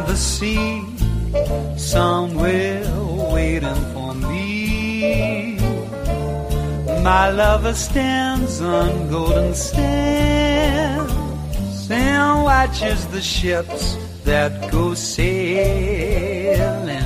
beyond the sea, somewhere waiting for me. My lover stands on golden sands and watches the ships that go sailing.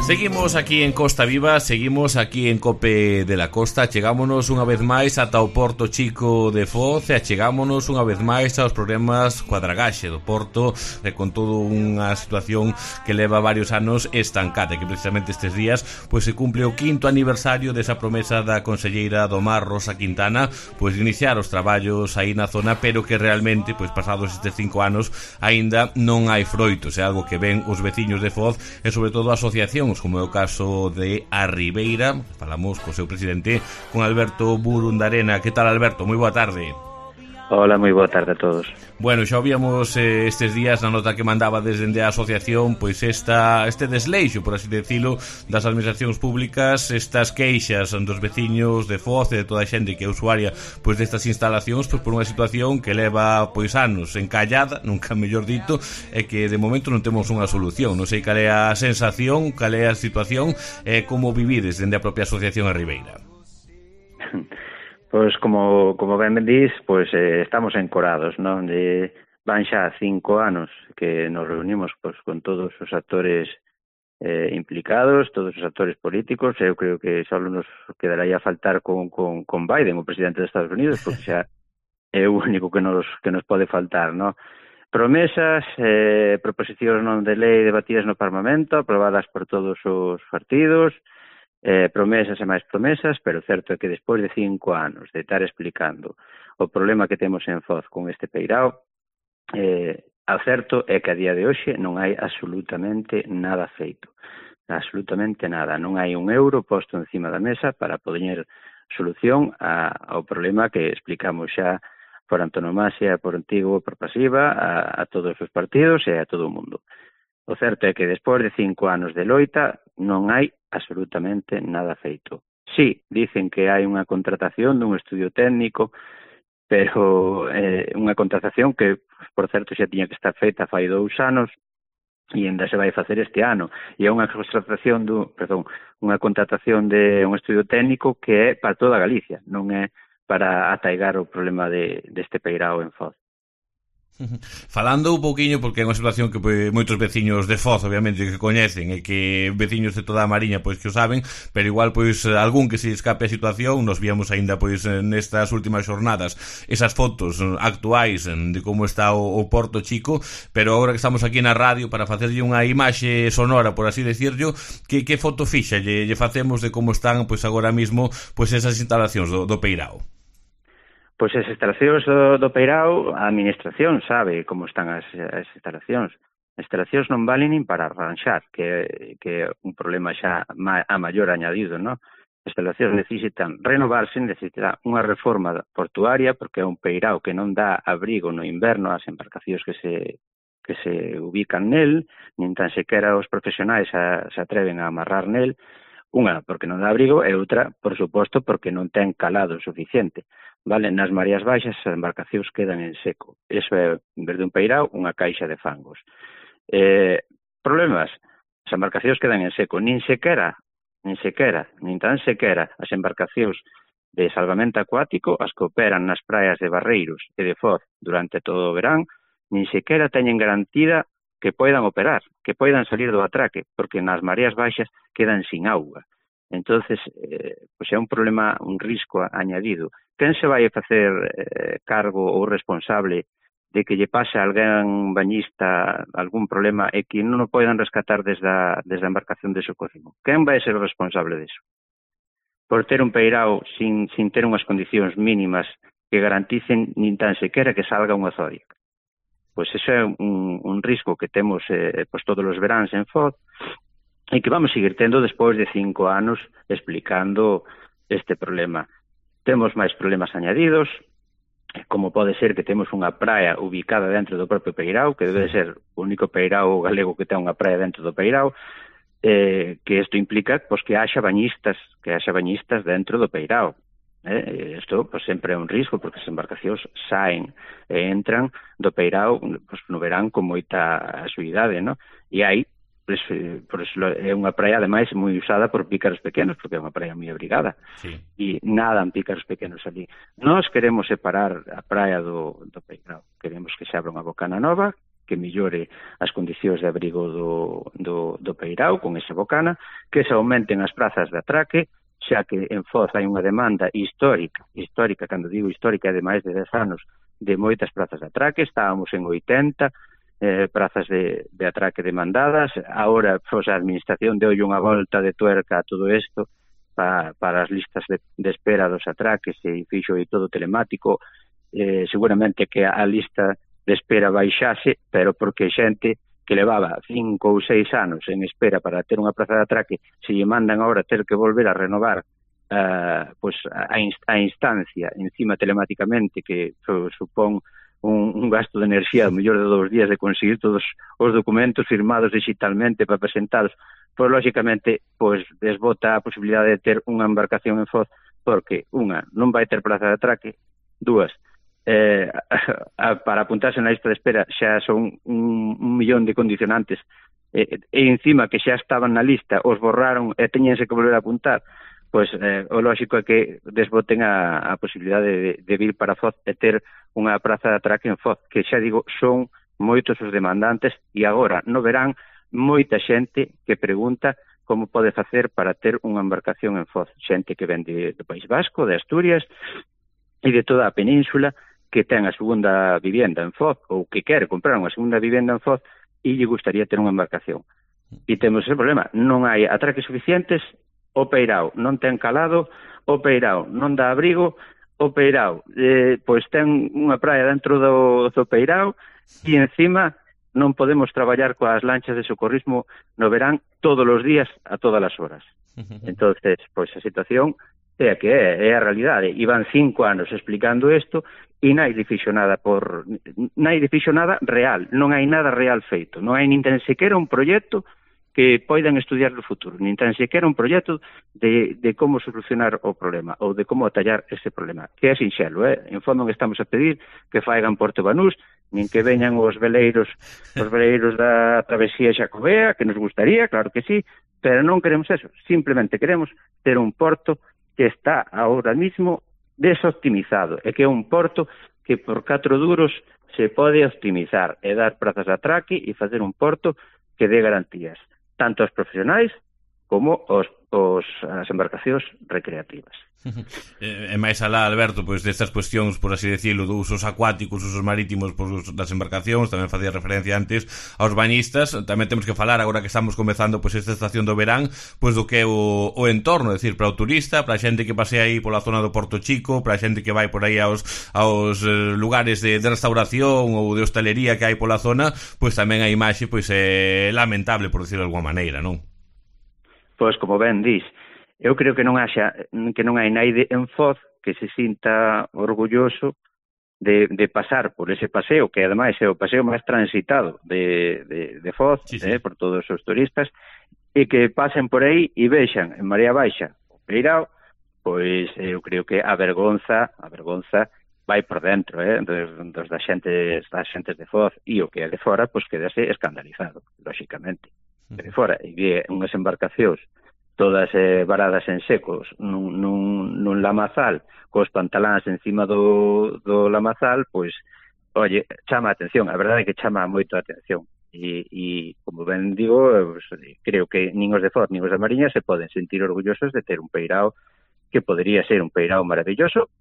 Seguimos aquí en Costa Viva, seguimos aquí en Cope de la Costa. Chegámonos unha vez máis ata o Porto Chico de Foz e achegámonos unha vez máis aos problemas coa dragaxe do Porto, con todo unha situación que leva varios anos estancada, que precisamente estes días pois se cumple o 5º aniversario desa promesa da conselleira do Mar, Rosa Quintana, pois de iniciar os traballos aí na zona, pero que realmente pois pasados estes 5 anos aínda non hai froitos. É algo que ven os veciños de Foz e sobre todo asociacións, como é o caso de A Ribeira. Falamos co seu presidente, con Alberto Burundarena. Que tal, Alberto? Moi boa tarde. Hola, moi boa tarde a todos. Bueno, xa víamos estes días na nota que mandaba desde a asociación, pois este desleixo, por así decirlo, das administracións públicas, estas queixas dos veciños de Foz e de toda a xente que é usuaria pois destas instalacións, pois por unha situación que leva pois anos encallada, nunca mellor dito, e que de momento non temos unha solución. Non sei cal é a sensación, cal é a situación e como vivides dende a propia asociación A Ribeira. Pois como ben dís, pois estamos encorados, non? Van xa 5 anos que nos reunimos pois con todos os actores implicados, todos os actores políticos. Eu creo que só nos quedaría a faltar con Biden, o presidente dos Estados Unidos, porque xa é o único que nos pode faltar, non? Promesas, proposicións non de lei debatidas no Parlamento, aprobadas por todos os partidos, promesas e máis promesas, pero certo é que despois de 5 anos de estar explicando o problema que temos en Foz con este peirao, ao certo é que a día de hoxe non hai absolutamente nada feito, absolutamente nada, non hai un euro posto encima da mesa para poder solución ao problema que explicamos xa por antonomasia, por antigo, por pasiva, a todos os partidos e a todo o mundo. O certo é que despois de 5 anos de loita non hai absolutamente nada feito. Sí, dicen que hai unha contratación dun estudio técnico, pero unha contratación que, por certo, xa tiña que estar feita fai 2 anos e ainda se vai facer este ano. E é unha contratación unha contratación de un estudio técnico que é para toda Galicia, non é para ataigar o problema deste peirao en Foz. Falando un pouquiño, porque é unha situación que moitos veciños de Foz obviamente que coñecen e que veciños de toda a Mariña pois que o saben, pero igual pois algún que se escape a situación. Nos víamos aínda pois nestas últimas xornadas esas fotos actuais de como está o Porto Chico, pero agora que estamos aquí na radio para facerlle unha imaxe sonora, por así decirlo, que foto fixa lle facemos de como están pois agora mismo pois esas instalacións do peirao? Pois as instalacións do peirao, a administración sabe como están as instalacións. As instalacións non valen nin para arranxar, que é un problema xa a maior añadido, non? As instalacións necesitan renovarse, necesitan unha reforma portuaria, porque é un peirao que non dá abrigo no inverno ás embarcacións que se ubican nel, nin tan sequera os profesionais se atreven a amarrar nel. Unha, porque non dá abrigo, e outra, por suposto, porque non ten calado suficiente. Vale, nas mareas baixas as embarcacións quedan en seco. Iso é, en vez de un peirao, unha caixa de fangos. Problemas, as embarcacións quedan en seco. Nin tan sequera as embarcacións de salvamento acuático, as que operan nas praias de Barreiros e de Foz durante todo o verán, nin sequera teñen garantida que poidan operar, que poidan salir do atraque, porque nas mareas baixas quedan sin auga. Entonces, pois é un problema, un risco añadido. Quen se vai a facer cargo ou responsable de que lle pase a alguén bañista algún problema e que non o poidan rescatar desde a embarcación de socorrismo? Quen vai ser o responsable disso? Por ter un peirao sin ter unhas condicións mínimas que garanticen nin tan sequera que salga unha zoria. Pois ese é un risco que temos pois todos os veráns en Foz e que vamos seguir tendo despois de 5 anos explicando este problema. Temos máis problemas añadidos, como pode ser que temos unha praia ubicada dentro do propio peirao, que debe ser o único peirao galego que ten unha praia dentro do peirao, que isto implica pois, que haxa bañistas dentro do peirao. Isto pois, sempre é un risco, porque as embarcacións saen e entran do peirao pois, no verán con moita axuidade, non? E hai por eso é unha praia ademais moi usada por pícaros pequenos, porque é unha praia moi abrigada, sí. E nadan pícaros pequenos ali. Nós queremos separar a praia do Peirao, queremos que se abra unha bocana nova, que millore as condicións de abrigo do Peirao con esa bocana, que se aumenten as prazas de atraque, xa que en Foz hai unha demanda histórica, cando digo histórica, é de máis de 10 anos, de moitas prazas de atraque. Estábamos en 80 prazas de atraque demandadas. Agora, pois, a administración deu unha volta de tuerca a todo isto para as listas de espera dos atraques e fixo e todo telemático. Seguramente que a lista de espera baixase, pero porque xente que levaba 5 ou 6 anos en espera para ter unha praza de atraque, se lle mandan agora ter que volver a renovar pois a instancia encima telemáticamente, que supón un gasto de enerxía mellor de 2 días de conseguir todos os documentos firmados digitalmente para presentalos, pois lógicamente pois desbota a posibilidade de ter unha embarcación en Foz, porque unha, non vai ter praza de atraque, dúas, para apuntarse na lista de espera xa son un millón de condicionantes, e encima que xa estaban na lista, os borraron e teñense que volver a apuntar, pois o lógico é que desboten a posibilidade de vir para Foz e ter unha praza de atraque en Foz, que xa digo, son moitos os demandantes, e agora no verán moita xente que pregunta como pode facer para ter unha embarcación en Foz, xente que ven do País Vasco, de Asturias e de toda a península, que ten a segunda vivenda en Foz ou que quere comprar unha segunda vivenda en Foz e lle gustaría ter unha embarcación. E temos ese problema, non hai atraques suficientes, o Peirao non ten calado, o Peirao non dá abrigo, o Peirao pois ten unha praia dentro do Peirao e encima non podemos traballar coas lanchas de socorrismo no verán todos os días a todas as horas. Entonces, pois a situación é a que é a realidade. E van 5 anos explicando isto e nadie fixo nada real, non hai nada real feito, non hai nin tan sequera un proxecto que poidan estudiar no futuro, nin tan sequera un proxecto de como solucionar o problema ou de como atallar ese problema, que é sinxelo, en fondo non estamos a pedir que faigan Porto Banús, nin que veñan os veleiros da travesía xacobea, que nos gustaría, claro que sí, pero non queremos eso, simplemente queremos ter un porto que está ahora mismo desoptimizado, e que é un porto que por 4 duros se pode optimizar e dar prazas de atraque e facer un porto que dé garantías, tanto aos profesionais como as embarcacións recreativas. E máis alá, Alberto, pois destas cuestións, por así decirlo, dos usos acuáticos, usos marítimos das embarcacións, tamén facía referencia antes aos bañistas, tamén temos que falar agora que estamos comezando pois esta estación do verán, pois do que é o entorno, é dicir, para o turista, para a xente que pasea aí pola zona do Porto Chico, para a xente que vai por aí aos lugares de restauración ou de hostalería que hai pola zona, pois tamén a imaxe pois é lamentable, por decirlo de alguma maneira, non? Pois como ben dis, eu creo que non hai naide en Foz que se sinta orgulloso de pasar por ese paseo, que ademais é o paseo máis transitado de Foz, sí. Por todos os turistas, e que pasen por aí e vexan en Marea Baixa o Peirao, pois eu creo que a vergonza vai por dentro, das xentes de Foz, e o que é de fora, pois quedase escandalizado, lóxicamente. De fora, e ve unhas embarcacións todas varadas en secos nun lamazal, cos pantaláns encima do lamazal, pois, oye, chama a atención, a verdade é que chama moito a atención, e como ben digo, pues, creo que nin os de Foz, nin os da Mariña se poden sentir orgullosos de ter un Peirao que podería ser un Peirao maravilloso,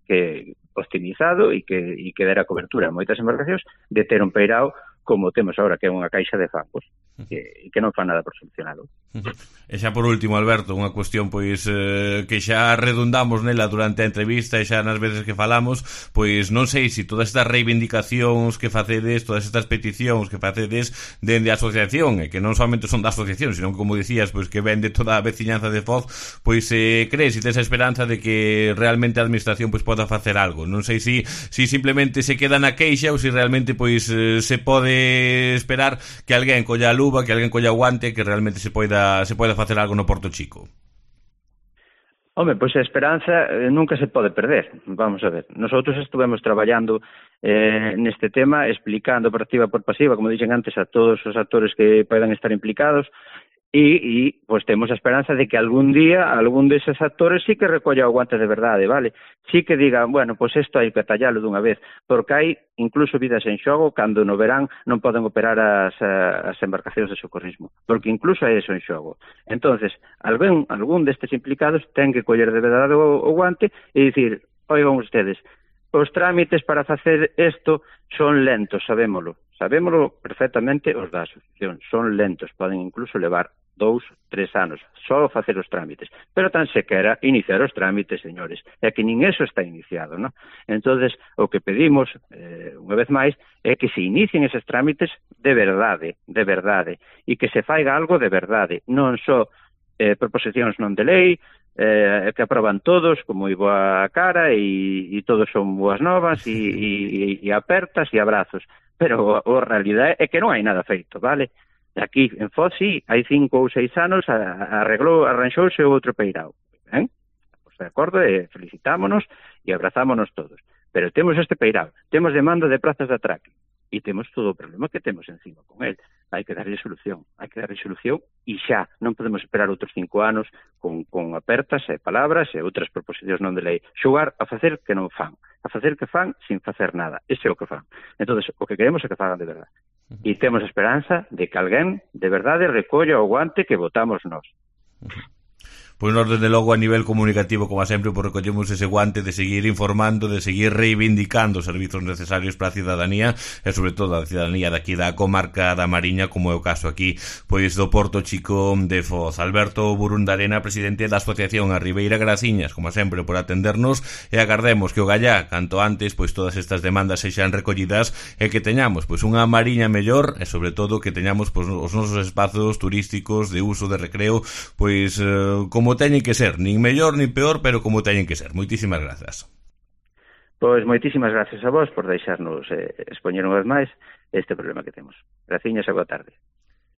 que optimizado e que dera cobertura a moitas embarcacións, de ter un Peirao como temos agora, que é unha caixa de fangos, que non fa nada por solucionalo. E xa por último, Alberto, unha cuestión pois que xa redundamos nela durante a entrevista e xa nas veces que falamos, pois non sei se todas estas reivindicacións que facedes, todas estas peticións que facedes dende a asociación, e que non solamente son da asociación, sino que, como dicías, pois que ven de toda a veciñanza de Foz, pois crees e tes a esperanza de que realmente a administración pois poda facer algo. Non sei se simplemente se queda na queixa ou se realmente pois se pode esperar que alguén colla a luva, que alguén colla o guante, que realmente se poida facer algo no Porto Chico. Home, pois a esperanza nunca se pode perder. Vamos a ver. Nosotros estuvemos traballando neste tema, explicando por activa por pasiva, como dixen antes, a todos os actores que podan estar implicados, e pois temos a esperanza de que algún día algún deses actores sí que recolla o guante de verdade, vale? Sí que digan, bueno, pois isto hai que tallalo dunha vez, porque hai incluso vidas en xogo cando no verán non poden operar as embarcacións de socorrismo, porque incluso hai eso en xogo. Entonces, algún destes implicados ten que coller de verdade o guante e dicir, oigan ustedes, os trámites para facer isto son lentos, sabémolo perfectamente os da asociación, son lentos, poden incluso levar 2, 3 anos, só facer os trámites, pero tan sequera iniciar os trámites, señores, é que nin eso está iniciado, non? Entonces, o que pedimos, unha vez máis, é que se inicien eses trámites de verdade, e que se faiga algo de verdade, non só proposicións non de lei, que aproban todos como moi boa cara e todos son boas novas e apertas e abrazos, pero a realidade é que non hai nada feito, vale? Aquí en Foz, sí, hai 5 ou 6 anos arranxouse outro peirao, ben? Pois de acordo, felicitámonos e abrazámonos todos, pero temos este peirao, temos demanda de plazas de atraque e temos todo o problema que temos encima con el. Hai que darlle solución e xa, non podemos esperar outros 5 anos con apertas e palabras e outras proposicións non de lei, xogar a facer que non fan, a facer que fan sin facer nada, ese é o que fan. Entón, o que queremos é que fagan de verdade. E temos a esperanza de que alguén de verdade recolla o guante que votamos nós. Pois nós, desde logo, a nivel comunicativo, como sempre, pues recollemos ese guante de seguir informando, de seguir reivindicando os servizos necesarios para a cidadanía, e sobre todo a cidadanía daqui da comarca da Mariña, como é o caso aquí, pois do Porto Chico de Foz. Alberto Burundarena, presidente da Asociación A Ribeira Graciñas, como sempre, por atendernos, e agardemos que o gallá, canto antes, pois todas estas demandas sexan recollidas e que teñamos pois unha Mariña mellor, e sobre todo que teñamos pois os nosos espazos turísticos de uso de recreo, pois como teñen que ser, nin mellor nin peor, pero como teñen que ser. Moitísimas grazas. Pois moitísimas gracias a vos por deixarnos expoñer unha vez máis este problema que temos. Graciñas e boa tarde.